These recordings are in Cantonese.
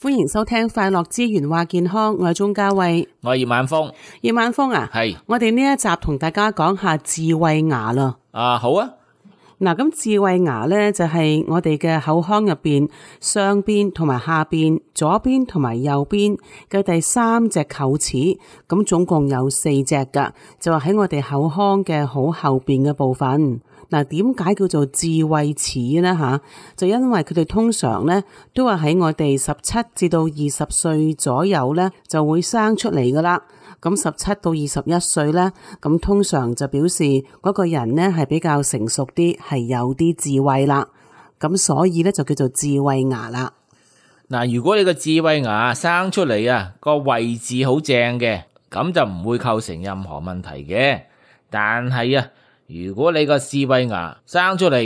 歡迎收聽快樂之源話健康，我係鍾嘉慧，我係葉晚風。葉晚風啊，係我哋呢一集同大家講下智慧牙啦。好啊。嗱，咁智慧牙咧就係我哋嘅口腔入邊上邊同埋下邊、左邊同埋右邊嘅第三隻臼齒，咁總共有4隻噶，就係喺我哋口腔嘅好後邊嘅部分。嗱，點解叫做智慧齒呢？吓，就因為佢哋通常咧都係喺我哋17至到20歲左右咧就會生出嚟噶啦。咁17到21歲咧，咁通常就表示嗰個人咧係比較成熟啲，係有啲智慧啦。咁所以咧就叫做智慧牙啦。嗱，如果你個智慧牙生出嚟啊，個位置好正嘅，咁就唔會構成任何問題嘅。但係啊，如果你個智慧牙生出嚟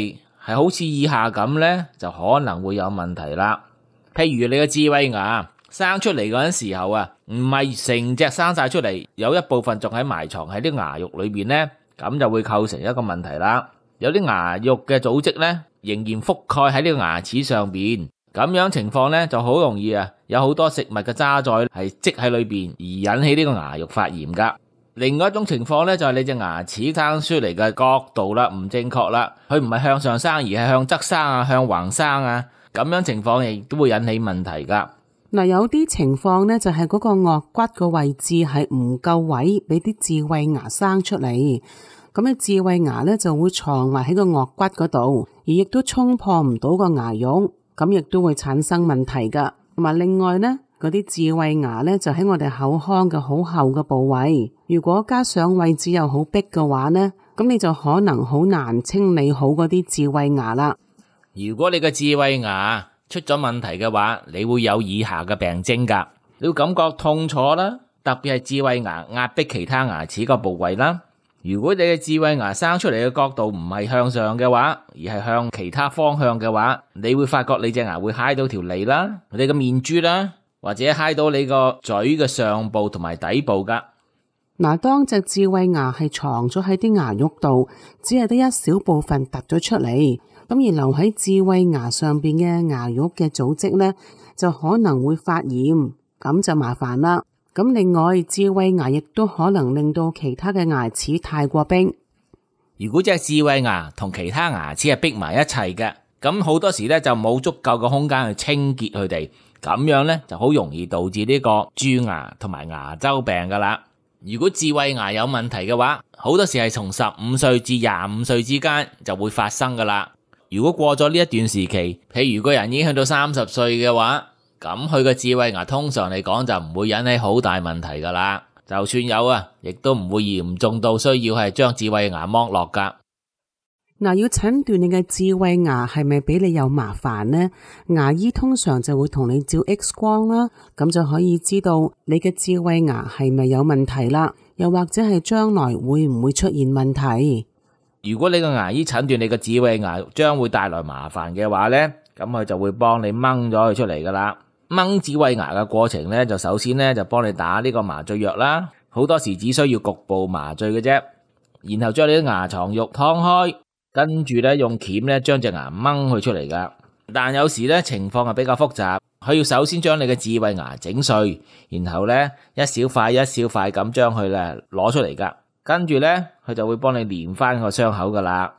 係好似以下咁咧，就可能會有問題啦。譬如你個智慧牙生出嚟嗰陣時候啊，唔係成隻生晒出嚟，有一部分仲喺埋藏喺啲牙肉裏邊咧，咁就會構成一個問題啦。有啲牙肉嘅組織咧，仍然覆蓋喺呢個牙齒上邊，咁樣情況咧就好容易啊，有好多食物嘅渣滓係積喺裏邊，而引起呢個牙肉發炎噶。另外一種情況咧就係你隻牙齒生出嚟嘅角度啦，唔正確啦，佢唔係向上生，而係向側生啊，向橫生啊，咁樣情況亦都會引起問題噶。嗱，有啲情況咧就係嗰個顎骨個位置係唔夠位，俾啲智慧牙生出嚟，咁啲智慧牙咧就會藏埋喺個顎骨嗰度，而亦都衝破唔到個牙肉，咁亦都會產生問題噶。同埋另外咧，嗰啲智慧牙咧就喺我哋口腔嘅好後嘅部位，如果加上位置又好逼嘅話咧，咁你就可能好難清理好嗰啲智慧牙啦。如果你嘅智慧牙出咗問題嘅話，你會有以下嘅病徵噶。你會感覺痛楚啦，特別係智慧牙壓迫其他牙齒個部位啦。如果你嘅智慧牙生出嚟嘅角度唔係向上嘅話，而係向其他方向嘅話，你會發覺你隻牙會揩到條脷啦，你個面珠啦，或者揩到你個嘴嘅上部同埋底部噶。嗱，當隻智慧牙係藏咗喺啲牙肉度，只係得一小部分突咗出嚟，咁而留喺智慧牙上邊嘅牙肉嘅組織咧，就可能會發炎，咁就麻煩啦。咁另外，智慧牙亦都可能令到其他嘅牙齒太過逼。如果隻智慧牙同其他牙齒係逼埋一齊嘅，咁好多時咧就冇足夠嘅空間去清潔佢哋，咁樣咧就好容易導致呢個蛀牙同埋牙周病噶啦。如果智慧牙有問題嘅話，好多時係從15歲至25歲之間就會發生噶啦。如果過咗呢一段時期，譬如個人已經去到30歲嘅話，咁佢個智慧牙通常嚟講就唔會引起好大問題噶啦。就算有啊，亦都唔會嚴重到需要係將智慧牙剝落噶。嗱，要診斷你嘅智慧牙係咪俾你有麻煩呢？牙醫通常就會同你照 X 光啦，咁就可以知道你嘅智慧牙係咪有問題啦，又或者係將來會唔會出現問題。如果你個牙醫診斷你個智慧牙將會帶來麻煩嘅話呢，咁佢就會幫你掹咗佢出嚟噶啦。掹智慧牙嘅過程呢，就首先呢就幫你打呢個麻醉藥啦，好多時只需要局部麻醉嘅啫，然後將你啲牙床肉劏開，跟住呢用鉗呢將隻牙掹佢出嚟噶。但有時呢情況係比較複雜，佢要首先將你嘅智慧牙整碎，然後呢一小塊一小塊咁將佢呢攞出嚟噶，跟住呢佢就會幫你連翻個傷口噶啦。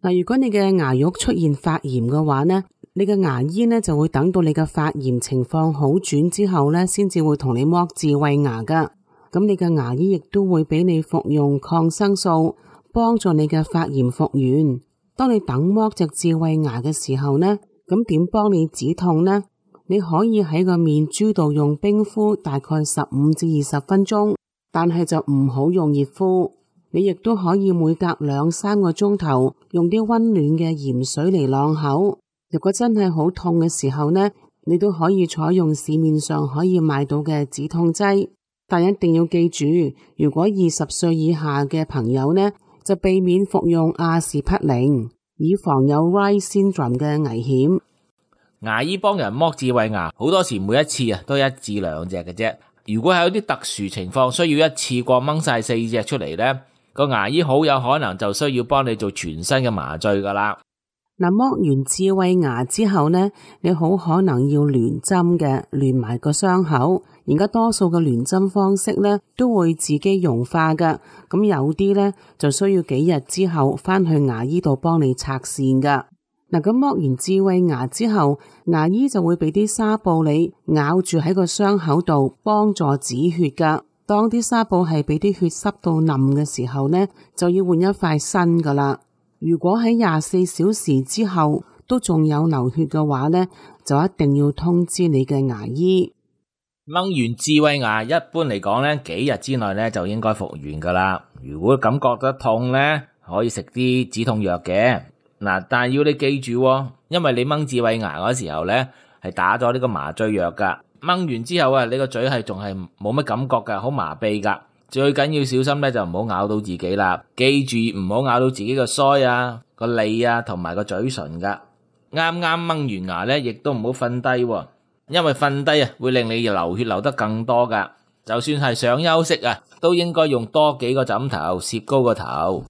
嗱，如果你嘅牙肉出現發炎嘅話呢，你嘅牙醫呢就會等到你嘅發炎情況好轉之後呢，先至會同你剝智慧牙噶。咁你嘅牙醫亦都會俾你服用抗生素，幫助你嘅發炎復原。當你等剝隻智慧牙嘅時候呢，咁點幫你止痛呢？你可以喺個面珠度用冰敷大概15至20分鐘，但係就唔好用熱敷。你亦都可以每隔2-3個鐘頭用啲溫暖嘅鹽水嚟啷口。如果真係好痛嘅時候呢，你都可以採用市面上可以買到嘅止痛劑，但一定要記住，如果20歲以下嘅朋友呢，就避免服用阿士匹靈，以防有 Reye Syndrome 嘅危險。牙醫幫人剝智慧牙，好多時每一次都1至2隻嘅啫。如果係有啲特殊情況需要一次過掹晒4隻出嚟呢，個牙醫好有可能就需要幫你做全身嘅麻醉噶啦。嗱，剝完智慧牙之後呢，你好可能要聯針嘅，聯埋個傷口。而家多數嘅聯針方式呢，都會自己溶化噶。咁有啲呢，就需要幾日之後返去牙醫度幫你拆線噶。嗱，咁剝完智慧牙之後，牙醫就會俾啲紗布你咬住喺個傷口度，幫助止血噶。當啲紗布係俾啲血濕到冧嘅時候呢，就要換一塊新噶啦。如果喺24小時之後都仲有流血嘅話呢，就一定要通知你嘅牙醫。掹完智慧牙一般嚟講呢，幾日之內呢就應該復原噶啦。如果感覺得痛呢，可以食啲止痛藥嘅。嗱，但係要你記住，因為你掹智慧牙嗰時候呢係打咗呢個麻醉藥噶。掹完之後啊，你個嘴係仲係冇乜感覺噶，好麻痹噶。最緊要小心咧，就唔好咬到自己啦。記住唔好咬到自己個腮啊、個脷啊同埋個嘴唇噶。啱啱掹完牙咧，亦都唔好瞓低，因為瞓低啊會令你流血流得更多噶。就算係想休息啊，都應該用多幾個枕頭攝高個頭。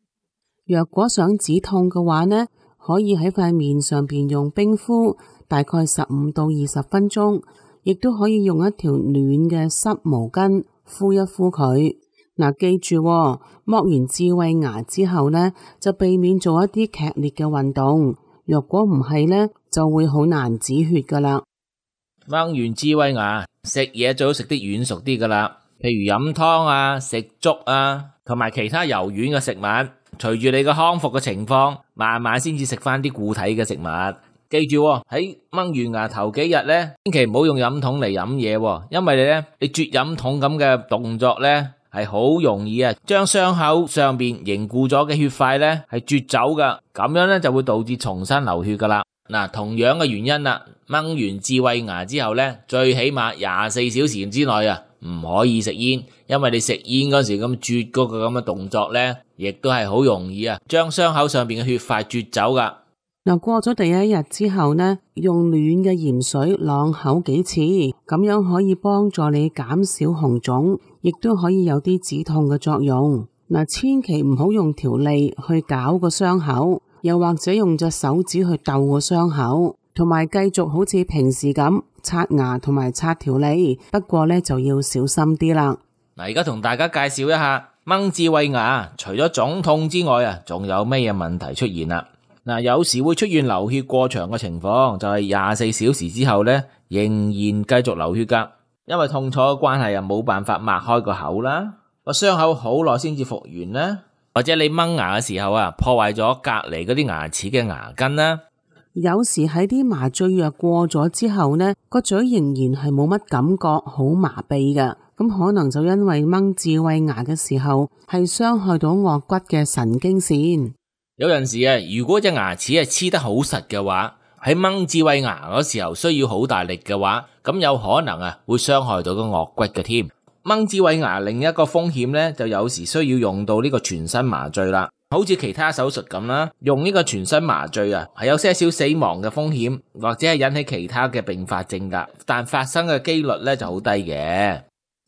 若果想止痛嘅話呢，可以喺塊面上邊用冰敷，大概15到20分鐘，亦都可以用一條暖嘅濕毛巾敷一敷佢。嗱，記住剝完智慧牙之後呢，就避免做一啲劇烈嘅運動。若果唔係呢，就會好難止血噶啦。掹完智慧牙，食嘢最好食啲軟熟啲噶啦，譬如飲湯啊、食粥啊，同埋其他柔軟嘅食物。隨住你嘅康復嘅情況，慢慢先至食翻啲固體嘅食物。記住喺掹完牙頭幾日呢，千祈唔好用飲筒嚟飲嘢，因為你啜飲筒咁嘅動作呢，係好容易啊，將傷口上邊凝固咗嘅血塊咧係啜走噶，咁樣咧就會導致重新流血噶啦。嗱，同樣嘅原因啦，掹完智慧牙之後咧，最起碼24小時之內啊，唔可以食煙，因為你食煙嗰時咁啜嗰個咁嘅動作咧，亦都係好容易啊，將傷口上邊嘅血塊啜走噶。嗱，過咗第一日之後呢，用暖嘅鹽水啷口幾次，咁樣可以幫助你減少紅腫，亦都可以有啲止痛嘅作用。嗱，千祈唔好用條脷去搞個傷口，又或者用隻手指去逗個傷口，同埋繼續好似平時咁刷牙同埋刷條脷，不過呢，就要小心啲啦。嗱，而家同大家介紹一下掹智慧牙，除咗腫痛之外啊，仲有咩嘢問題出現啦？嗱，有時會出現流血過長嘅情況，就係24小時之後咧，仍然繼續流血噶。因為痛楚嘅關係啊，冇辦法擘開個口啦，個傷口好耐先至復原啦，或者你掹牙嘅時候啊，破壞咗隔籬嗰啲牙齒嘅牙根啦。有時喺啲麻醉藥過咗之後呢，個嘴仍然係冇乜感覺，好麻痹噶。咁可能就因為掹智慧牙嘅時候係傷害到顎骨嘅神經線。有陣時啊，如果隻牙齒係黐得好實嘅話，喺掹智慧牙嗰時候需要好大力嘅話，咁有可能啊會傷害到個顎骨嘅添。掹智慧牙另一個風險呢，就有時需要用到呢個全身麻醉啦，好似其他手術咁啦，用呢個全身麻醉啊，係有些少死亡嘅風險，或者係引起其他嘅併發症噶，但發生嘅幾率呢就好低嘅。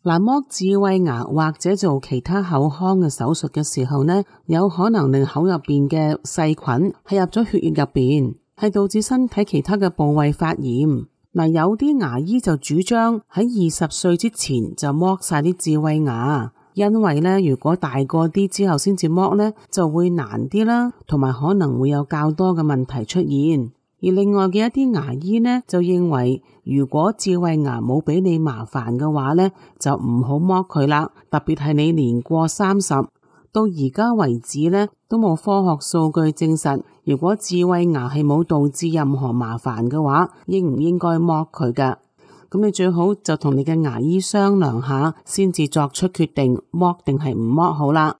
嗱，剝智慧牙或者做其他口腔嘅手術嘅時候呢，有可能令口入邊嘅細菌係入咗血液入邊，係導致身體其他嘅部位發炎。嗱，有啲牙醫就主張喺20歲之前就剝晒啲智慧牙，因為呢，如果大個啲之後先至剝呢，就會難啲啦，同埋可能會有較多嘅問題出現。而另外嘅一啲牙醫呢，就認為如果智慧牙冇俾你麻煩嘅話呢，就唔好剝佢啦。特別係你年過30，到而家為止呢，都冇科學數據證實，如果智慧牙係冇導致任何麻煩嘅話，應唔應該剝佢㗎？咁你最好就同你嘅牙醫商量下，先至作出決定，剝定係唔剝好啦。